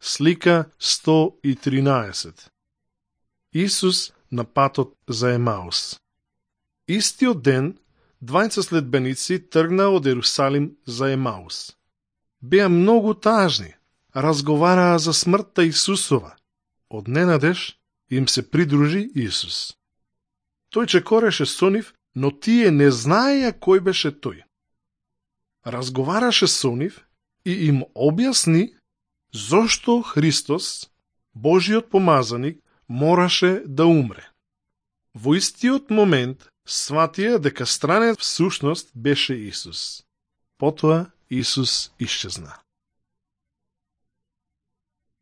Слика 113. Исус на патот за Емаус. Истиот ден, двајца следбеници тргнаа од Ерусалим за Емаус. Беа многу тажни, разговараа за смртта Исусова. Од ненадеж им се придружи Исус. Тој чекореше со нив, но тие не знаеја кој беше тој. Разговараше со нив и им објасни зошто Христос, Божиот помазаник, мораше да умре. Во истиот момент сватија дека странец всушност беше Исус. Потоа Исус исчезна.